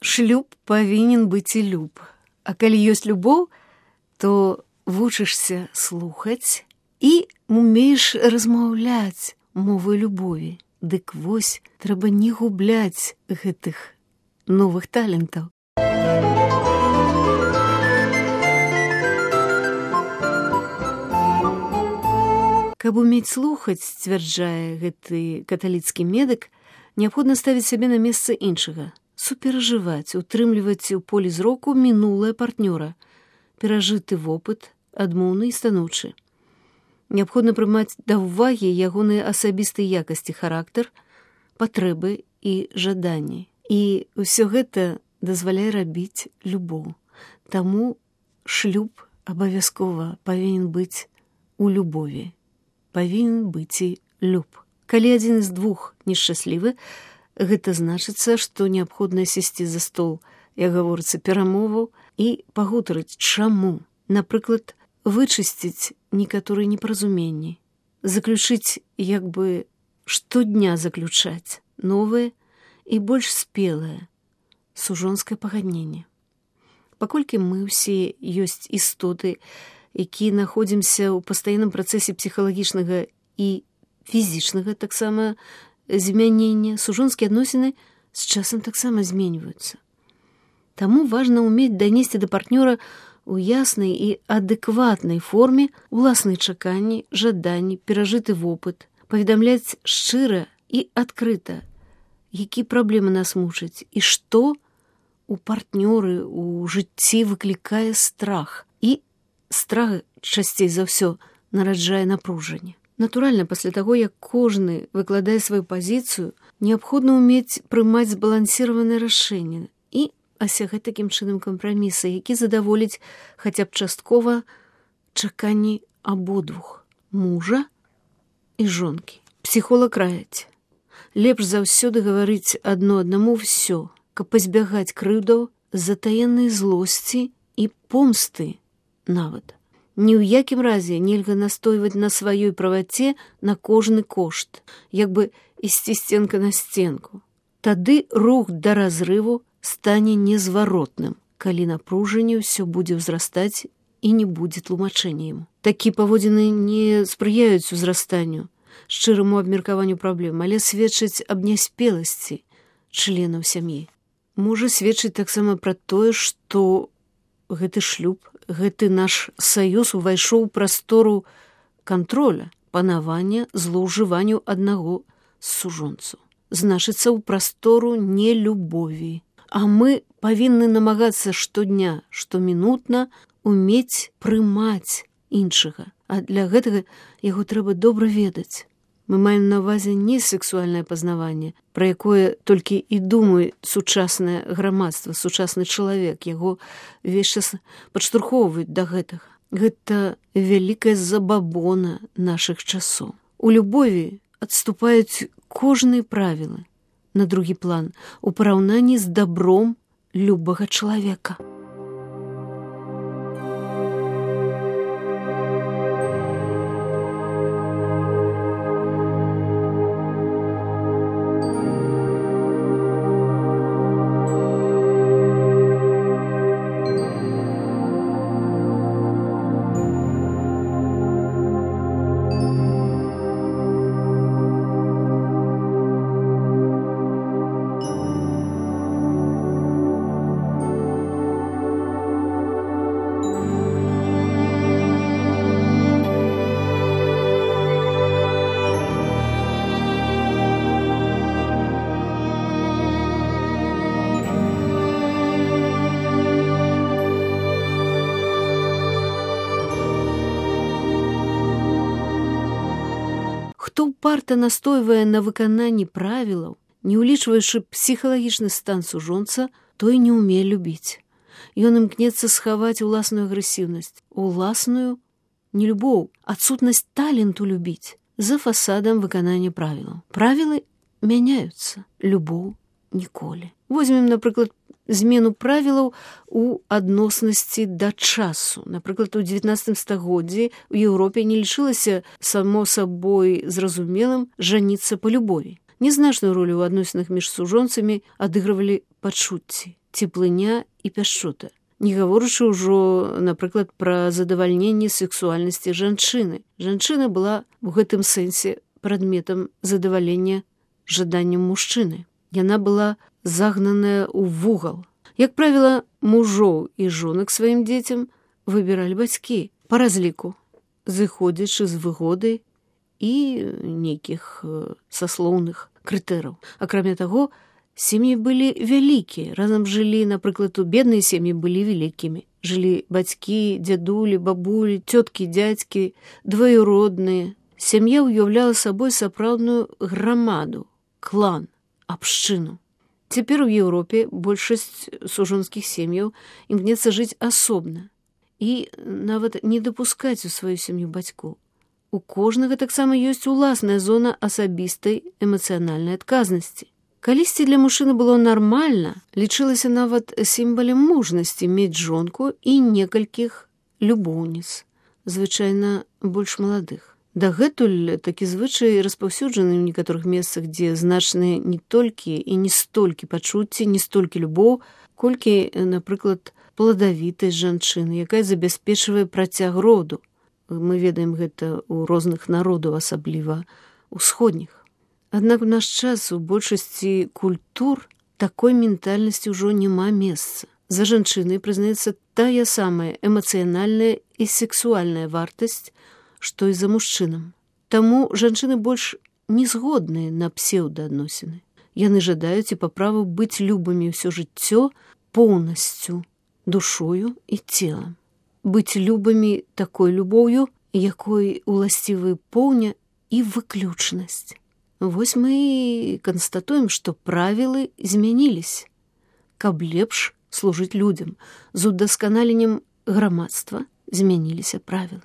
шлюб павінен быць і люб. А калі ёсць любоў, то вучышся слухаць і умееш размаўляць мовай любові. Дык вось, трэба не губляць гэтых новых талентаў. Каб умець слухаць, сцвярджае гэты каталіцкі медык, неабходна ставіць сябе на месца іншага, суперажываць, утрымліваць у полі зроку мінулае партнёра, перажыты вопыт, адмоўны і станоўчы. Неабходна прымаць да ўвагі ягоныя асабістыя якасці, характар, патрэбы і жаданні. І ўсё гэта дазваляе рабіць любоў. Таму шлюб абавязкова павінен быць у любові. Павінен быць і люб. Калі адзін з двух нешчаслівы, гэта значыцца, што неабходна сесці за стол, як гаворыцца, перамоваў і пагутарыць, чаму. Напрыклад, вычысціць некаторыя непаразуменні, заключыць, як бы штодня заключаць новае і больш спелае сужонскае пагадненне. Паколькі мы ўсе ёсць істоты, які находзімся ў пастаянным працэсе псіхалагічнага і фізічнага таксама змянення, сужонскія адносіны з часам таксама зменьваюцца. Таму важна ўмець данесці да партнёра у яснай і адэкватнай форме уласныя чаканні, жаданні, перажыты вопыт, паведамляць шчыра і адкрыта, які праблемы нас мучаць і што у партнёры у жыцці выклікае страх. І страх часцей за ўсё нараджае напружанне. Натуральна, пасля таго, як кожны выкладае сваю пазіцыю, неабходна ўмець прымаць збалансіраванае рашэнне і асягаць такім чынам кампраміса, які задаволіць хаця б часткова чаканні абодвух мужа і жонкі. Псіхолог раіць: лепш заўсёды гаварыць адно аднаму ўсё, каб пазбягаць крыўдаў, затаеннай злосці і помсты нават. Ні ў якім разе нельга настойваць на сваёй праваце на кожны кошт, як бы ісці сценка на сценку. Тады рух да разрыву стане незваротным, калі напружанне ўсё будзе ўзрастаць і не будзе тлумачэння яму. Такія паводзіны не спрыяюць узрастанню, шчыраму абмеркаванню праблем, але сведчаць аб няспеласці членаў сям'і. Можа сведчыць таксама пра тое, што гэты шлюб, гэты наш саюз увайшоў у прастору кантроля, панавання, злоўжыванню аднаго з сужонцаў. Значыцца, ў прастору нелюбові. А мы павінны намагацца штодня, штомінутна умець прымаць іншага. А для гэтага яго трэба добра ведаць. Мы маем на ўвазе не сексуальнае пазнаванне, пра якое толькі і думае сучаснае грамадства, сучасны чалавек, яго увесь час падштурхоўваюць да гэтага. Гэта вялікая забабона нашых часоў. У любові адступаюць кожныя правілы на другі план у параўнанні з дабром любага чалавека. Хто упарта настойвае на выкананні правілаў, не ўлічваючы псіхалагічны стан сужонца, той не ўмее любіць. Ён імкнецца схаваць уласную агрэсіўнасць, уласную нелюбоў, адсутнасць таленту любіць за фасадам выканання правілаў. Правілы мяняюцца, любоў ніколі. Возьмем, напрыклад, змену правілаў у адноснасці да часу. Напрыклад, у 19 стагоддзі ў Еўропе не лічылася само сабой зразумелым жаніцца па любові. Незначную ролю ў адносінах між сужонцамі адыгрывалі пачуцці. цеплыня і пяшчота. Не гаворачы ўжо, напрыклад, пра задавальненне сексуальнасці жанчыны. Жанчына была ў гэтым сэнсе прадметам задавалення жаданням мужчыны. Яна была загнаная ў вугал. Як правіла, мужоў і жонак сваім дзецям выбіралі бацькі па разліку, зыходзячы з выгоды і нейкіх саслоўных крытэраў. Акрамя таго, сем'і былі вялікія. Разам жылі, напрыклад, у бедныя сем'і былі вялікімі. Жылі бацькі, дзядулі, бабулі, цёткі, дзядзькі, двоюродныя. Сям'я ўяўляла сабой сапраўдную грамаду, клан, абшчыну. Цяпер у Еўропе большасць сужонскіх сем'яў імкнецца жыць асобна і нават не дапускаць у сваю сям'ю бацькоў. У кожнага таксама ёсць уласная зона асабістай эмацыянальнай адказнасці. Калісьці для мужчыны было нармальна, лічылася нават сімвалем мужнасці мець жонку і некалькіх любоўніц, звычайна больш маладых. Дагэтуль такі звычай распаўсюджаны ў некаторых месцах, дзе значныя не толькі і не столькі пачуцці, не столькі любоў, колькі, напрыклад, пладавітасць жанчыны, якая забяспечвае працяг роду. Мы ведаем гэта ў розных народаў, асабліва ўсходніх. Аднак у наш час у большасці культур такой ментальнасці ўжо няма месца. За жанчынай прызнаецца тая самая эмацыянальная і сексуальная вартасць, што і за мужчынам. Таму жанчыны больш не згодныя на псеўдаадносіны. Яны жадаюць і па праву быць любымі ўсё жыццё поўнасцю, душою і целам. Быць любымі такой любоўю, якой уласцівы поўня і выключнасць. Вось мы і канстатуем, што правілы змяніліся, каб лепш служыць людзям. З удасканаленнем грамадства змяніліся правілы.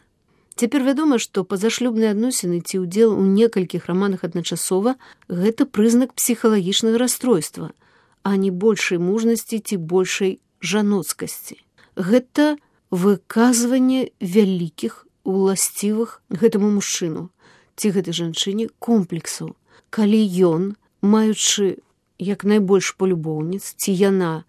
Цяпер вядома, што пазашлюбныя адносіны ці ўдзел у некалькіх раманах адначасова – гэта прызнак псіхалагічнага расстройства, а не большай мужнасці ці большай жаноцкасці. Гэта выказванне вялікіх, уласцівых гэтаму мужчыну ці гэтай жанчыне комплексаў. Калі ён, маючы як найбольш полюбоўніц, ці яна,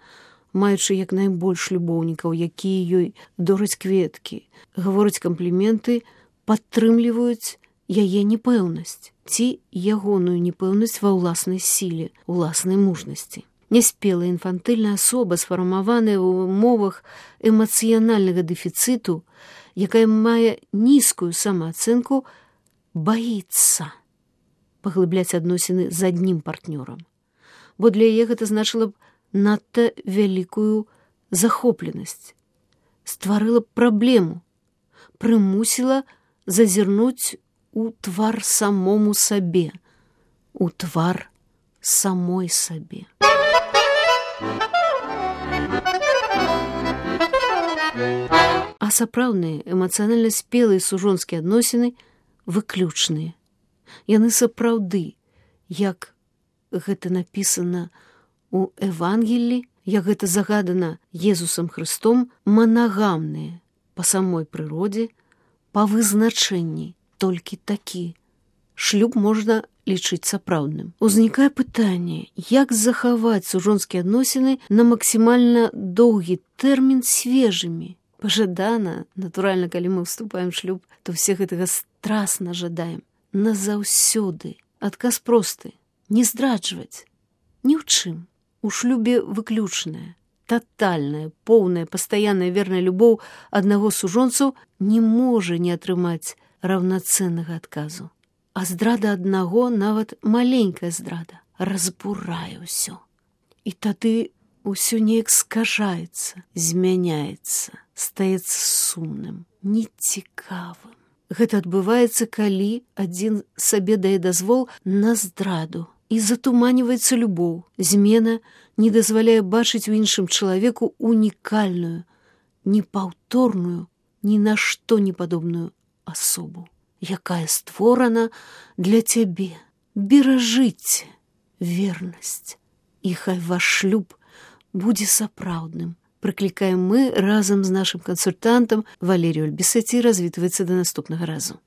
маючы як найбольш любоўнікаў, якія ёй дораць кветкі, гавораць кампліменты, падтрымліваюць яе непэўнасць ці ягоную непэўнасць ва ўласнай сіле, уласнай мужнасці. Няспелая інфантыльная асоба, сфармаваная ў умовах эмацыянальнага дэфіцыту, якая мае нізкую самаацэнку, баіцца паглыбляць адносіны з аднім партнёрам, бо для яе гэта значыла б надта вялікую захопленасць, стварыла б праблему, прымусіла зазірнуць у твар самому сабе, у твар самой сабе. А сапраўдныя эмацыянальна спелыя сужонскія адносіны выключныя. Яны сапраўды, як гэта напісана у Евангеллі, як гэта загадана Езусам Хрыстом, манагамныя па самой прыродзе, па вызначэнні толькі такі. Шлюб можна лічыць сапраўдным. Узнікае пытанне, як захаваць сужонскія адносіны на максімальна доўгі тэрмін свежымі. Пажадана, натуральна, калі мы ўступаем в шлюб, то все гэтага страсна жадаем. Назаўсёды. Адказ просты. Не здраджваць. Ні ў чым. У шлюбе выключная, татальная, поўная, пастаянная верная любоў аднаго з сужонцаў не можа не атрымаць раўнацэннага адказу. А здрада аднаго, нават маленькая здрада, разбурае ўсё. І тады ўсё неяк скажаецца, змяняецца, стаецца сумным, нецікавым. Гэта адбываецца, калі адзін сабе дае дазвол на здраду і затуманіваецца любоў. Змена не дазваляе бачыць у іншым чалавеку унікальную, непаўторную, ні на што не падобную асобу, якая створана для цябе. Беражыце вернасць, і хай ваш шлюб будзе сапраўдным. Прыклікаем мы разам з нашым кансультантам Валерію Альбісеці. Развітваецца да наступнага разу.